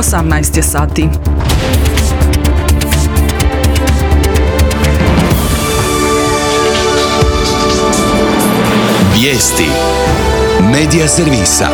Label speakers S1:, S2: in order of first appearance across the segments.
S1: 18 je sati.
S2: Vijesti Medija servisa.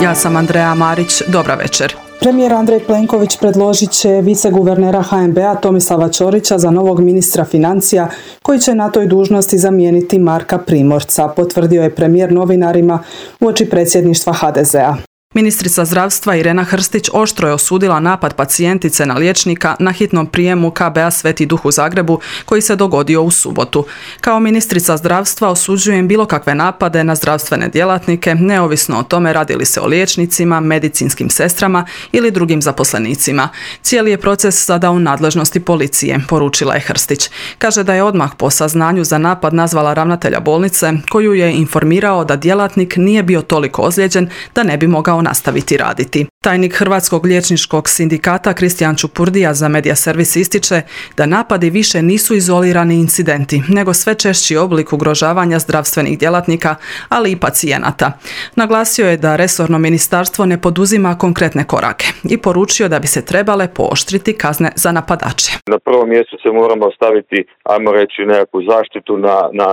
S1: Ja sam Andreja Marić, dobra večer.
S3: Premijer Andrej Plenković predložit će viceguvernera HNB-a Tomislava Ćorića za novog ministra financija koji će na toj dužnosti zamijeniti Marka Primorca, potvrdio je premijer novinarima uoči predsjedništva HDZ-a.
S1: Ministrica zdravstva Irena Hrstić oštro je osudila napad pacijentice na liječnika na hitnom prijemu KB-a Sveti Duh u Zagrebu koji se dogodio u subotu. Kao ministrica zdravstva osuđujem bilo kakve napade na zdravstvene djelatnike, neovisno o tome radi li se o liječnicima, medicinskim sestrama ili drugim zaposlenicima. Cijeli je proces sada u nadležnosti policije, poručila je Hrstić. Kaže da je odmah po saznanju za napad nazvala ravnatelja bolnice, koju je informirao da djelatnik nije bio toliko ozlijeđen da ne bi mogao nastaviti raditi. Tajnik Hrvatskog liječničkog sindikata Kristijan Čupurdija za Medija servis ističe da napadi više nisu izolirani incidenti, nego sve češći oblik ugrožavanja zdravstvenih djelatnika, ali i pacijenata. Naglasio je da resorno ministarstvo ne poduzima konkretne korake i poručio da bi se trebale pooštriti kazne za napadače.
S4: Na prvom mjestu se moramo staviti, ajmo reći, nekakvu zaštitu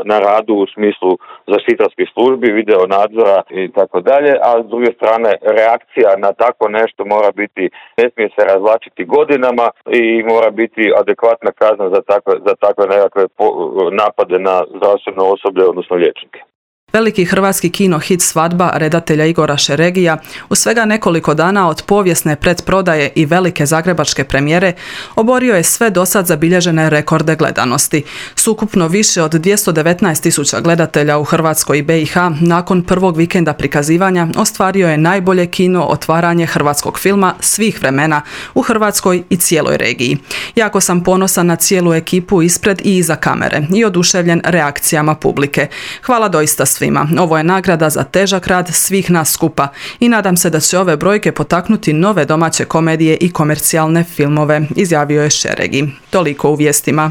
S4: na radu u smislu zaštitarskih službi, video nadzora i tako dalje, a s druge strane reakcija na tako nešto mora biti, ne smije se razvlačiti godinama i mora biti adekvatna kazna za takve nekakve napade na zdravstveno osoblje, odnosno liječnike.
S1: Veliki hrvatski kino hit Svadba redatelja Igora Šeregija u svega nekoliko dana od povijesne pretprodaje i velike zagrebačke premijere oborio je sve dosad zabilježene rekorde gledanosti. S ukupno više od 219.000 gledatelja u Hrvatskoj i BiH nakon prvog vikenda prikazivanja ostvario je najbolje kino otvaranje hrvatskog filma svih vremena u Hrvatskoj i cijeloj regiji. Jako sam ponosan na cijelu ekipu ispred i iza kamere i oduševljen reakcijama publike. Hvala doista svima. Ovo je nagrada za težak rad svih nas skupa i nadam se da će ove brojke potaknuti nove domaće komedije i komercijalne filmove, izjavio je Šeregi. Toliko u vijestima.